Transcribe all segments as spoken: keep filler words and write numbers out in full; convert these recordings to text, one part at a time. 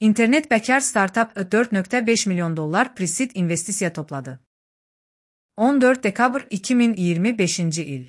İnternet bekar startup dört nokta beş milyon dolar pre-seed investisiya topladı. on dört dekabr iki min iyirmi beşinci il.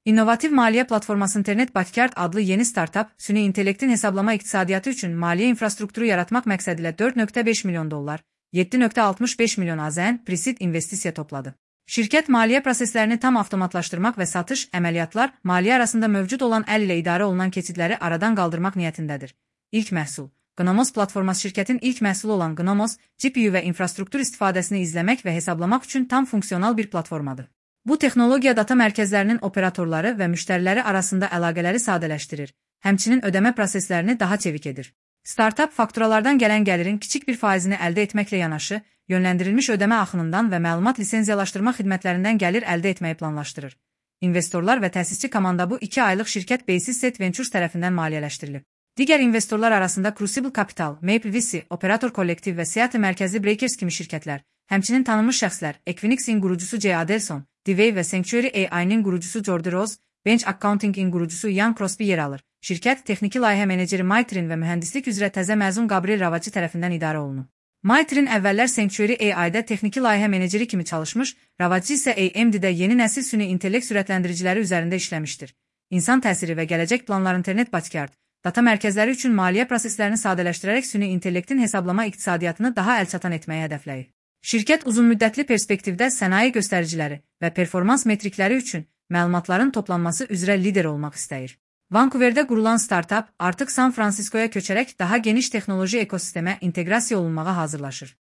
İnnovativ maliyyə platforması İnternet Bakar adlı yeni startup, süni intellektin hesablama iqtisadiyyatı üçün maliyyə infrastrukturu yaratmaq məqsədilə dörd nokta beş milyon dolar, yeddi nokta altmış beş milyon AZN pre-seed investisiya topladı. Şirkət maliyyə proseslərini tam avtomatlaşdırmaq və satış, əməliyyatlar, maliyyə arasında mövcud olan əl ilə idarə olunan keçidləri aradan qaldırmaq niyyətindədir. İlk məhsul. Gnomos platforması şirkətin ilk məhsulu olan Gnomos, G P U və infrastruktur istifadəsini izləmək və hesablamaq üçün tam funksional bir platformadır. Bu texnologiya data mərkəzlərinin operatorları və müştəriləri arasında əlaqələri sadələşdirir, həmçinin ödəmə proseslərini daha çevik edir. Startup fakturalardan gələn gəlirin kiçik bir faizini əldə etməklə yanaşı, yönləndirilmiş ödəmə axınından və məlumat lisenziyalaşdırma xidmətlərindən gəlir əldə etməyi planlaşdırır. İnvestorlar və təsisçi komanda bu iki aylıq şirkət Basis Set Ventures tərəfindən maliyyələşdirilib. Digər investorlar arasında Crucible Capital, Maple V C, Operator Kollektiv və Seattle mərkəzli Breakers kimi şirkətlər, həmçinin tanınmış şəxslər, Equinix'in qurucusu Jay Adelson, Dewey və Sanctuary A I'nin qurucusu Jordi Rose, Bench Accounting'in qurucusu Ian Crosby yer alır. Şirkət texniki layihə meneceri Maytrin və mühəndislik üzrə təzə məzun Gabriel Ravaci tərəfindən idarə olunur. Maytrin əvvəllər Sanctuary A I'də texniki layihə meneceri kimi çalışmış, Ravaci isə A M D'də yeni nəsil süni intellekt sürətləndiriciləri üzərində işləmişdir. İnsan təsiri və gələcək planlar İnternet Bakar, data mərkəzləri üçün maliyyə proseslərini sadələşdirərək süni intellektin hesablama iqtisadiyyatını daha əlçatan etməyi hədəfləyir. Şirkət uzunmüddətli perspektivdə sənaye göstəriciləri və performans metrikləri üçün məlumatların toplanması üzrə lider olmaq istəyir. Vancouverdə qurulan startup artıq San Fransiskoya köçərək daha geniş texnoloji ekosistemə inteqrasiya olunmağa hazırlaşır.